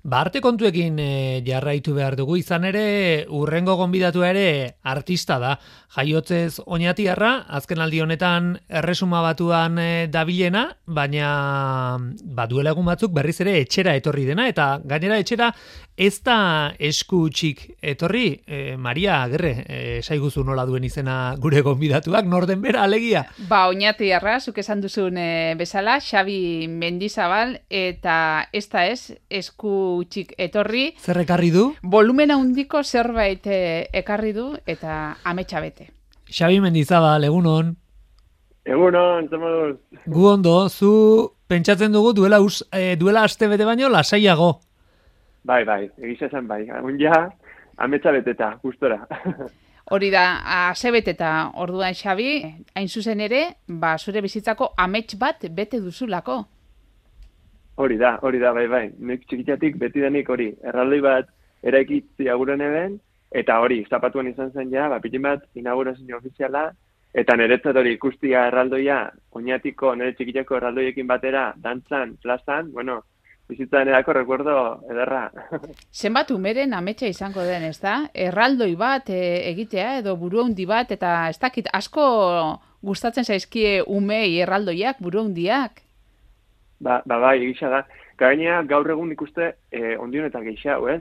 Arte kontuekin jarraitu behar dugu, izan ere urrengo gonbidatua ere artista da. Jaiotzez oñatiarra, azken aldi honetan Erresuma Batuan dabilena, baina duela egun batzuk berriz ere etxera etorri dena, eta gainera etxera ez da esku txik etorri. Maria Agerre, saiguzu nola duen izena gure gonbidatuak, norden bera alegia? Oñatiarra, zuk esan duzun bezala, Xabi Mendizabal, eta ez da esku txik etorri. Zer ekarri du? Volumena handiko zerbait ekarri du eta ametsa bete. Xabi Mendizabal, egunon. Egunon, zer moduz? Gu ondo, zu pentsatzen dugu duela aste bete baino lasaiago. Bai, egisa zen bai. Ja, ametsa beteta, gustora. Hori da, asebeteta orduan Xabi, hain zuzen ere, zure bizitzako amets bat bete duzulako. Hori da, bai. Nik txikitatik beti denik hori, erraldoi bat eraikitzi aguren eben, eta hori, zapatuan izan zen ja, pitin bat inaugurazio ofiziala, eta niretzat hori ikustia erraldoia, Oñatiko, nire txikitako erraldoiekin batera, dantzan, plazan, bueno, bizitzan erako recuerdo ederra. Zenbat umeren ametsa izango den, ez da? Erraldoi bat egitea edo buru handi bat, eta ez dakit asko gustatzen zaizkie umei erraldoiak, buru handiak. Bai, egisa da. Gainea gaur egun ikuste ondionetan gehiago, ez?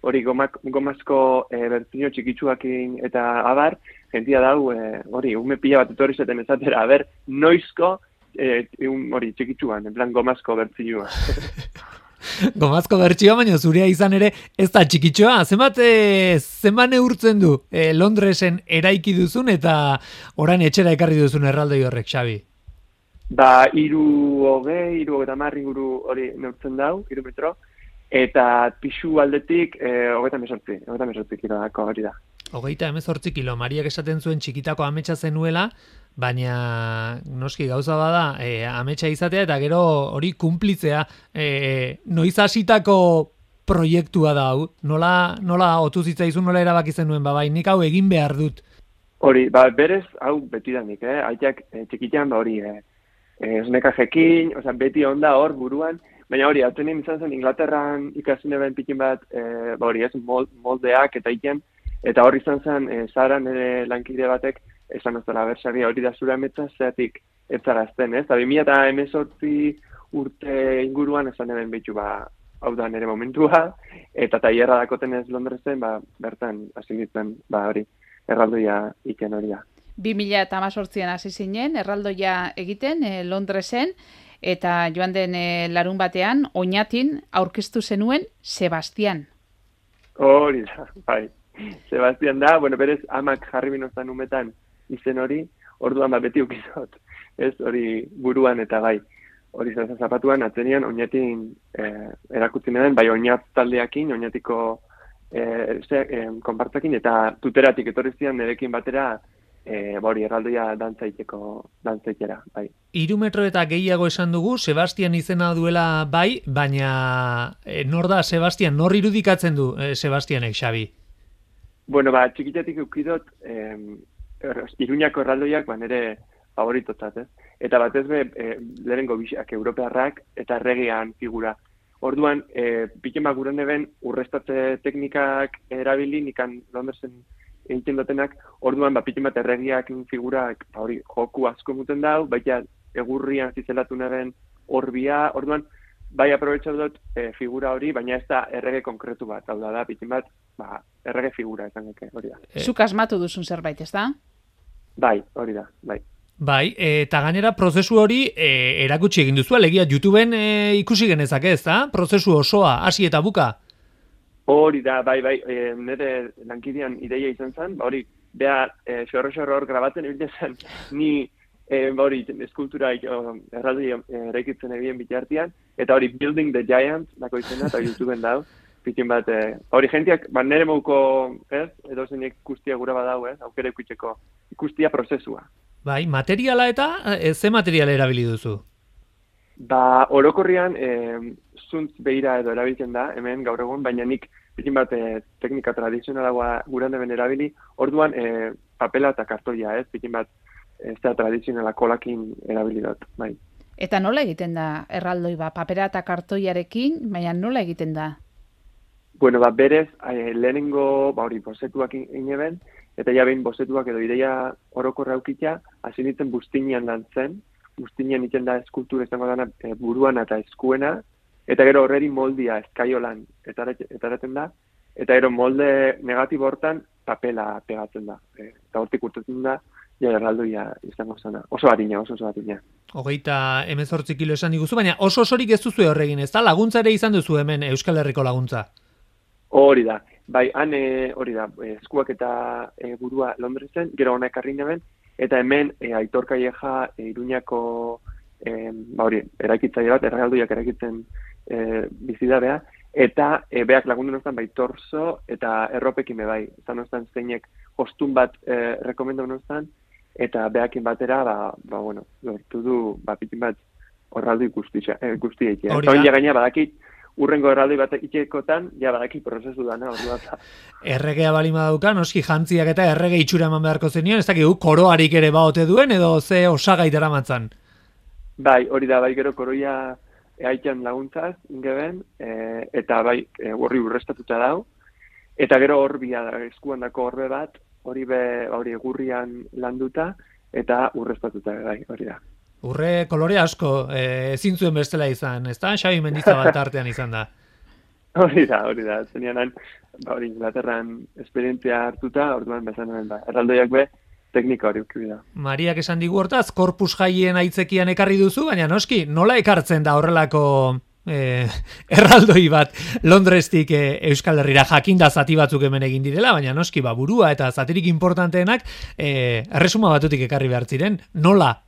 Hori gomazko bertzino txikitsuakin eta abar, jentia dau, hori, ume pila bat etorri zeten ezatera, noizko hori txikitsuan, en plan gomazko bertzinua. Gomazko bertsioa, baina zurea izan ere ez da txikitxoa. Zenbat neurtzen du Londresen eraiki duzun eta orain etxera ekarri duzun erraldoi horrek, Xabi? 30 inguru hori neurtzen dau, 3 metro, eta pixu aldetik 38 kilodako hori da. 38 kilo, Mariak esaten zuen txikitako ametsa zenuela, baina noski gauza bada ametsa izatea eta gero hori kumplitzea. Noiz hasitako proiektua da hau? Nola otu zitzaizun, nola erabaki zenuen, bai, nik hau egin behar dut? Hori, berez, hau betidanik, aitak txikitan hori, esnekajekin, beti onda hor buruan, baina hori, atzenin izan zen Inglaterran ikasin eben pikin bat, hori ez, moldeak eta iten, eta hori izan zen, zaran ere lankide batek, esan ozela bersaria hori da zura ametsa, zeatik etzarazten, ez? 2018 urte inguruan esan eben behitu, hau da nire momentua, eta tailerra dakoten ez Londresen, bertan hasi nintzen, hori, erraldoia iken hori da. 2018an hasi zinen, erraldoia egiten Londresen, eta joan den larun batean, Oñatin aurkeztu zenuen Sebastian. Hori da, bai. Sebastian da, berez amak jarri binoztan umetan izen hori, orduan beti ukizot. Ez hori buruan eta bai. Hori zapatuan, atzenian Oñatin erakutzi den, bai Oñat taldeakin, Oñatiko konpartzakin, eta tuteratik etorri zian nerekin batera, hori erraldoia dantzaitera, bai. 3 metro eta gehiago esan dugu, Sebastian izena duela bai, baina nor da Sebastian, nor irudikatzen du Sebastianek, Xabi? Txikitatik eukidot, Iruñako erraldoiak, nire favoritotzat, ez? Eta batez lehenengo bisak europearrak eta erregean figura. Orduan, piken guren eben urrestatze teknikak erabili, nikan Londersen egiten dutenak, orduan, piken bat erregiak figurak, hori, joku asko muten dau, baita egurrian zizelatu neben horbia, orduan, bai aprobetxatu dut figura hori, baina ez da errege konkretu bat, hau da, piken bat, errege figura, esan geke, hori da. Zuk asmatu duzun zerbait, ez da? Bai, hori da, bai. Bai, eta gainera prozesu hori erakutsi egin duzu, alegia YouTubeen ikusi genezake, ez da? Prozesu osoa, hasi eta buka. Hori da, bai, nire lankidean ideia izan zen, hori, beha, xorro hor grabatzen ebile zen, ni hori, eskultura erraldoi eraikitzen egin bitartian, eta hori, Building the Giant, dako izena, eta YouTubeen dau, pikin bat, hori jentiak, nire mouko, ez, edo zenek ikustia gura badau, ez, aukera ikustia prozesua. Bai, materiala eta ze materiala erabili duzu? Orokorrian zuntz behira edo erabiltzen da, hemen gaur egun, baina nik pikin bat teknika tradizionalagoa guran deben erabili, orduan papela eta kartoia, ez, pikin bat ez da tradizionala kolakin erabili dut, bai. Eta nola egiten da erraldoi papera eta kartoiarekin, baina nola egiten da? Bueno, berez, lehenengo, hori, bozetuak ineben, eta ja behin bozetuak edo ideia orokorra eukitza, hasi nintzen buztinean lantzen, buztinean iten da eskultura izango dana buruan eta eskuena, eta gero horreri moldia eskaiolan etaraten da, eta gero molde negatibo hortan papela pegatzen da. Eta hortik urtetzen da, ja erraldoia izango zena. Oso harina. 18 kilo esan diguzu, baina oso osorik ez duzu horregin, ez da? Laguntza ere izan duzu hemen Euskal Herriko laguntza. Hori da. Bai, han hori da, eskuak eta burua Londresen, gero hona ekarri neben, eta hemen Aitor Calleja Iruñako eraikitzaile bat, erraldoiak eraikitzen bizidabea, eta beak lagundu nostan bai torso eta erropekin bai. Eta nostan zeinek hostun bat rekomendau nostan, eta beakin batera, lortu du, pitin bat horraldoi guztiek. Eta hori gaina badakit, urrengo erraldoi bat ikekotan, badaki prozesu dana, ordu bat. Erregea balima dauka, noski jantziak eta errege itxura eman beharko zenion, ez dakigu koroarik ere baote duen, edo ze osagai daramatzan? Bai, hori da, bai gero koroia haitan laguntzaz, ingeben, eta bai, horri urrestatuta dau, eta gero horbia da, eskuan dako horbe bat, hori egurrian landuta, eta urrestatuta, bai, hori da. Urre kolore asko, ezin zuen bestela izan, ez da? Xabi Mendizabal tartean izan da. Hori da, zenianan, Inglaterran esperientzia hartuta, orduan bezan erraldoiak teknika hori ukibida. Da. Mariak esan digu hortaz, korpus jaien aitzekian ekarri duzu, baina noski, nola ekartzen da horrelako erraldoi bat Londrestik Euskal Herrira jakinda zati batzuk hemen egin direla, baina noski, burua eta zatirik importanteenak erresuma batutik ekarri behar ziren, nola?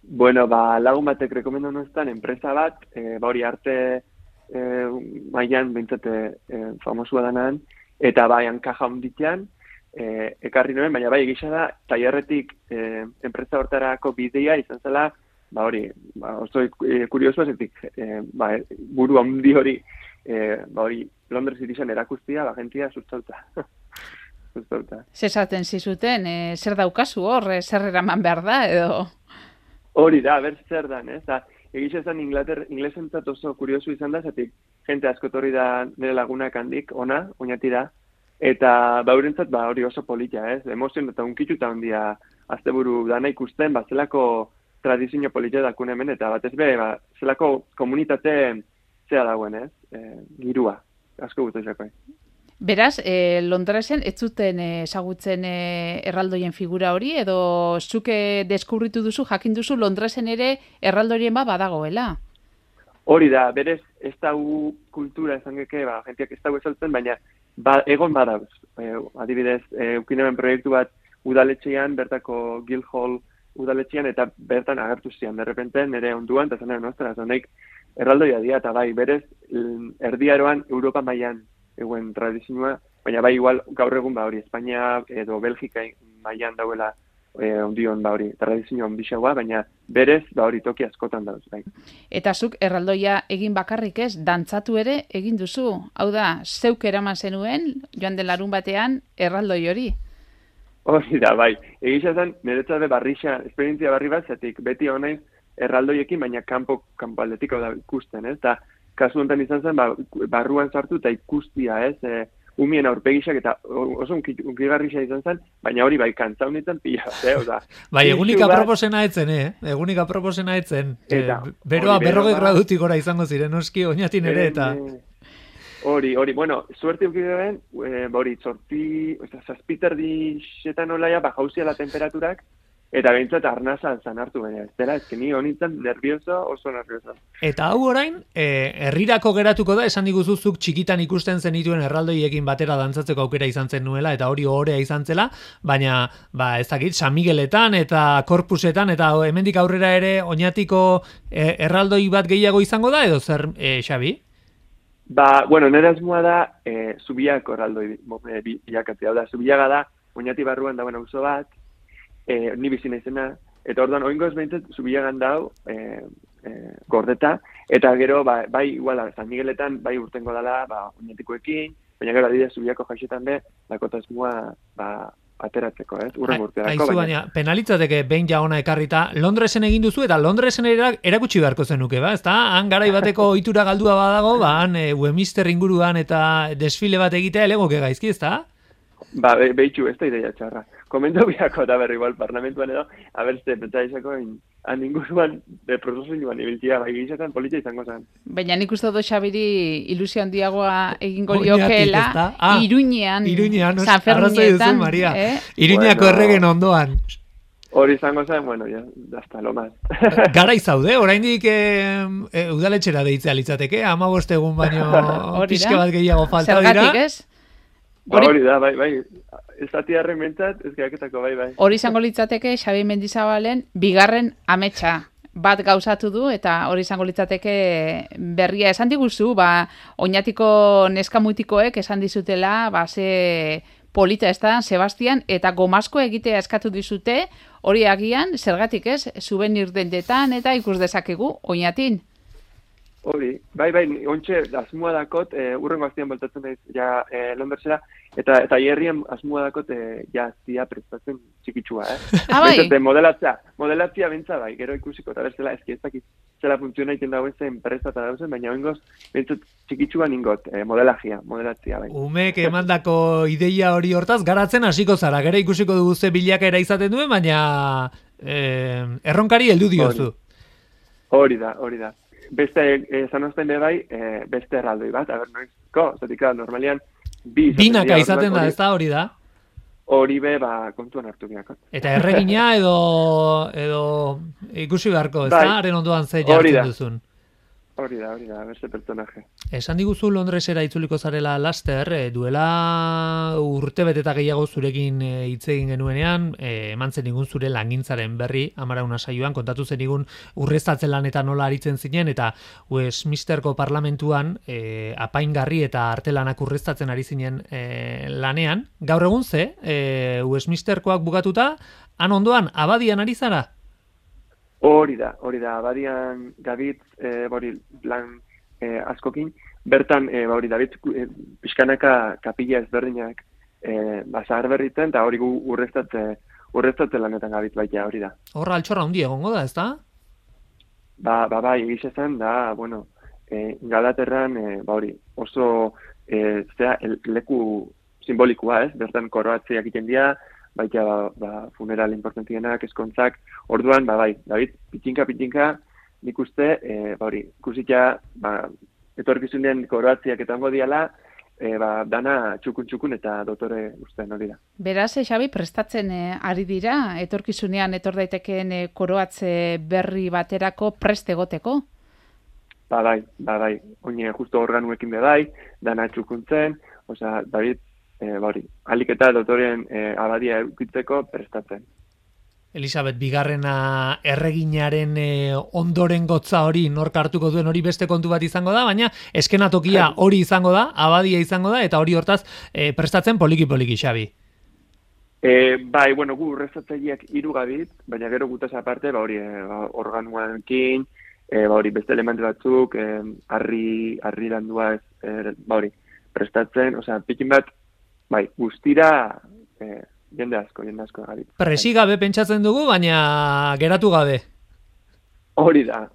Bueno, lagun batek rekomendo noztan, enpresa bat, hori arte mailan bintzate famosua danan, eta hankaja hunditean, ekarri noen, baina egisa da, tailerretik enpresa hortarako bidea izan zela, oso kurioso ezetik, buru handi hori, Londres irizan erakustia, gentia sustauta. Zesaten zizuten, zer daukazu hor, zer eraman behar da, edo... Hori da, zer dan, ez? Egisa esan inglesentzat oso kuriosu izan da, zatik jente asko torri da nire lagunak handik, oinatira, eta baurentzat hori oso polita, ez? Emozion eta unkituta ondia asteburu dana ikusten, zelako tradizio polita dakun hemen, eta batez zelako komunitate zea dagoen, ez? Girua, asko gutu izako. Beraz, Londresen ez zuten ezagutzen erraldoien figura hori, edo zuke deskubritu duzu, jakin duzu Londresen ere erraldorien badagoela? Hori da, berez ez dau kultura esan geke, jentiak ez dau esaltzen, baina egon badauz. Adibidez, ukinemen proiektu bat udaletxean, bertako Guildhall udaletxean, eta bertan agertu zian, derrepente nire onduan, eta zanera nostra, zonek erraldoia dia, eta berez, erdiaroan Europa mailan eguen tradizioa, baina igual gaur egun hori Espainia edo Belgika mailan dauela ondion hori tradizio ondixagoa, baina berez hori toki askotan dauz. Eta zuk erraldoia egin bakarrik ez, dantzatu ere egin duzu. Hau da, zeuk eraman zenuen, joan den larun batean, erraldoi hori. Hori da, Egisa zen, niretzat esperientzia barri bat, zatik beti honaiz erraldoiekin, baina kanpo aldetik da ikusten, ez? Eta kasu honetan izan zen, barruan sartu eta ikustia, ez? Umien aurpegisak eta oso unkigarrisa izan zen, baina hori kantza honetan pila bat, egunik aproposena etzen, Egunik aproposena etzen. Beroa 40 gradutik gora izango ziren, oski, oinatin ere, eta... Hori, bueno, suerte ukideen, zazpiterdi xetan olaia, jauzia la temperaturak, eta behintzat arnazan zanartu baina, ez dela, ni honintzen oso nervioso. Eta hau orain, herrirako geratuko da, esan diguzuzuk txikitan ikusten zenituen erraldoiekin batera dantzatzeko aukera izan zen nuela, eta hori ohorea izan zela, baina, ez dakit, San Migueletan eta Korpusetan, eta hemendik aurrera ere oinatiko erraldoi bat gehiago izango da, edo zer, Xabi? Nire asmoa da, Zubiako erraldoi bilakatzea, da, Zubiaga da, oinati barruan dauen auzo bat, ni bizina izena, eta orduan oingoz behintzat Zubiagan dau gordeta, eta gero iguala, San Migueletan urtengo dala oinatikoekin, baina gero adidez Zubiako jaixetan be, dakotasmoa ateratzeko, urren urteako. Aizu, baina penalitzateke behin ja ona ekarrita, Londresen egin duzu eta Londresen erakutsi beharko zenuke, ba? Ezta? Han garai bateko ohitura galdua badago, ba, han Westminster inguruan eta desfile bat egitea elegoke gaizki, ezta? Ba, behitxu, ez da ideia txarra. Komendo biako da berri igual parlamentuan edo, abertze, pentsaizako han inguruan, prozesuan ibiltzia, bai gizetan politia izango zen. Baina nik uste dut Xabiri ilusio handiagoa egingo liokeela, Iruñean, San Ferminetan. Iruñako erregen ondoan. Hori izango zen, bueno, ya, hasta lo más. Gara izaude, oraindik udaletxera deitzea litzateke, 15 egun baino pixka bat gehiago falta dira. Zergatik, ez? Hori da, bai, estatiarren mentzat, ez geaketako, bai. Hori izango litzateke, Xabi Mendizabalen, bigarren ametsa bat gauzatu du, eta hori izango litzateke berria esan diguzu, ba, oinatiko neskamutikoek esan dizutela, ba, ze polita ez da, Sebastian, eta gomazko egitea eskatu dizute, hori agian, zergatik ez, souvenir dendetan, eta ikus dezakegu, oinatin. Hori, bai, ontxe, asmoa dakot, urrengo aztian boltatzen daiz, ja, Londresera, eta hierrien asmoa dakot, ja, zia prestatzen txikitsua, bai? Modelatzia bentsa bai, gero ikusiko, eta berzela, ez dakit zela funtziona iten dagoen zen presta eta dauzen, baina oingoz, bentsat txikitsua ningot, modelatzia bai. Umek emandako ideia hori hortaz, garatzen hasiko zara, gero ikusiko dugu ze bilakaera izaten duen, baina erronkari heldu diozu. Hori da. Beste, zanozten bai, beste erraldoi bat, noizko, zatik normalian, binaka izaten da, ez da hori da? Hori be, ba, kontuan hartu biako. Eta erregina edo ikusi beharko, ez da? Haren ondoan ze jartzen duzun. Hori da, beste personaje. Esan diguzu Londresera itzuliko zarela laster, duela urtebete eta gehiago zurekin hitz egin genuenean, eman zen igun zure langintzaren berri, Amarauna saioan, kontatu zen igun urreztatzen lanetan nola aritzen zinen, eta Westminsterko parlamentuan apaingarri eta artelanak urreztatzen ari zinen lanean. Gaur egun ze, Westminsterkoak bukatuta, han ondoan, abadian ari zara? Hori da, abadian gabitz, lan askokin, bertan, David, pixkanaka kapila ezberdinak zahar berritzen, eta hori gu urreztatze lanetan gabitz baita, hori da. Horra altxorra hundi egongo da, ez da? Bai, egiz esan, da, bueno, Galaterran, oso, leku simbolikoa, ez? Bertan koroatzeak iten dira, baita funeral importantienak, eskontzak, orduan, David, pitxinka, nik uste, ikusita, etorkizunen koroatziak etango diala, dana txukun eta dotore ustean hori da. Beraz, Xabi, prestatzen ari dira, etorkizunean etor daitekeen koroatze berri baterako prest egoteko? Bai, oine justo organuekin bai, dana txukuntzen, David, alik eta dotoren abadia eukitzeko prestatzen. Elisabet, bigarrena erreginaren ondoren gotza hori nork hartuko duen hori beste kontu bat izango da, baina eskenatokia hori izango da, abadia izango da, eta hori hortaz prestatzen poliki, Xabi. Bai, gu urreztatzaileak 3 gabit, baina gero gutaz aparte, organuanekin, beste elementu batzuk, harri landua prestatzen, pikin bat, guztira jende asko gabit. Presi gabe pentsatzen dugu, baina geratu gabe. Hori da.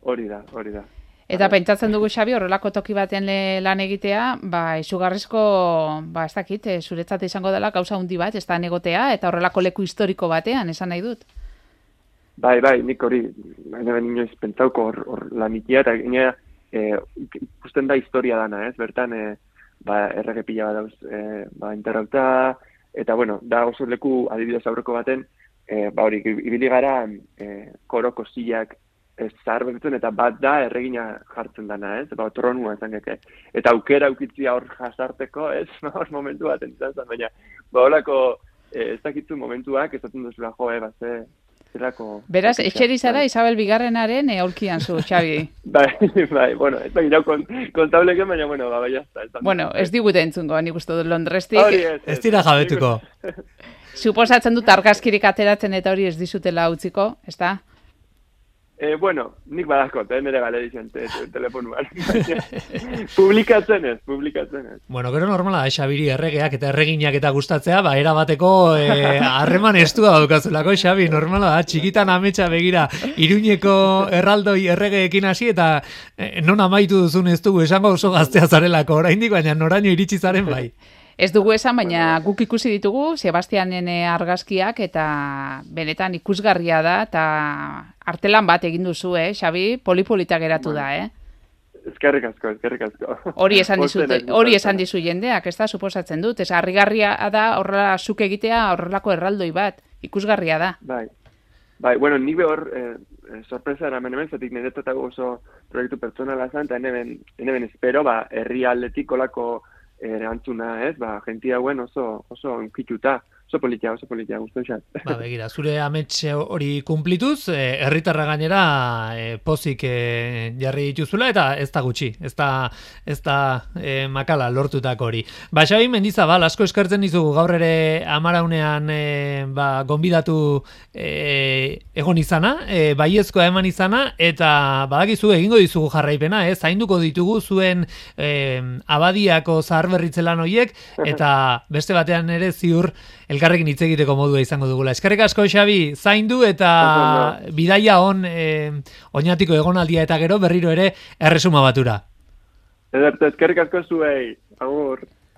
Eta pentsatzen dugu, Xabi, horrelako toki baten lan egitea, izugarrizko, ez dakit, zuretzat izango dela gauza handi bat, ez da negotea, eta horrelako leku historiko batean, esan nahi dut. Bai, nik hori, inoiz pentsauko hor lanitia, eta gine, ikusten da historia dana, ez? Bertan, errege pila bat dauz, enterrauta, eta, da oso leku adibidez aurreko baten, ibili gara koroko zilak zahar begitzen, eta bat da erregina jartzen dana, ez? Tronua esan geke. Eta aukera aukitzia hor jasarteko, ez? Momentu bat entzan zen, baina, holako ez dakitzu momentuak, ez datzen duzula zerako... Beraz, etxerizara Isabel Bigarrenaren aurkian zu, Xabi. Bai, ez da girau kontableken, baina, bai, jazta. Ez digute entzungo, nik uste dut Londrestik. Ez dira jabetuko. Suposatzen dut argazkirik ateratzen eta hori ez dizutela utziko, ez da? Bueno, nik badakot, nire gale dizien telefonuan. Publikatzen ez. Bueno, gero normala da, Xabiri erregeak eta erreginak eta gustatzea, ba, erabateko harreman estua daukazulako, Xabi, normala da, txikitan ametsa begira, Iruñeko erraldoi erregeekin hasi, eta non amaitu duzun ez dugu, esango oso gaztea zarelako, oraindik, baina noraino iritsi zaren bai. Ez dugu esan, baina guk ikusi ditugu Sebastianen argazkiak eta benetan ikusgarria da eta artelan bat egin duzu, Xabi, polipolita geratu da, Eskerrik asko. Hori esan dizu jendeak, ez da, suposatzen dut. Ez harrigarria da horrela zuk egitea horrelako erraldoi bat, ikusgarria da. Bai, bueno, ni behor sorpresa eramen hemen, zatik niretatago oso proiektu pertsonala zan, eta hemen espero, herri aldetik kolako erantzuna, ez? Gentia hauen oso unkituta, oso politia, guztu xat. Begira, zure amets hori kumplituz, herritarra gainera pozik jarri dituzula, eta ez da gutxi, ez da makala lortutak hori. Xabi Mendizabal, asko eskertzen dizugu gaur ere amaraunean gonbidatu egon izana, baiezkoa eman izana, eta badakizu egingo dizugu jarraipena, zainduko ditugu zuen abadiako zaharberritzelan horiek, eta beste batean ere ziur elkarrekin hitz egiteko modua izango dugula. Eskerrik asko, Xabi, zaindu eta bidaia on oinatiko egonaldia eta gero berriro ere Erresuma Batura. Ederto, eskerrik asko zuei. Agur.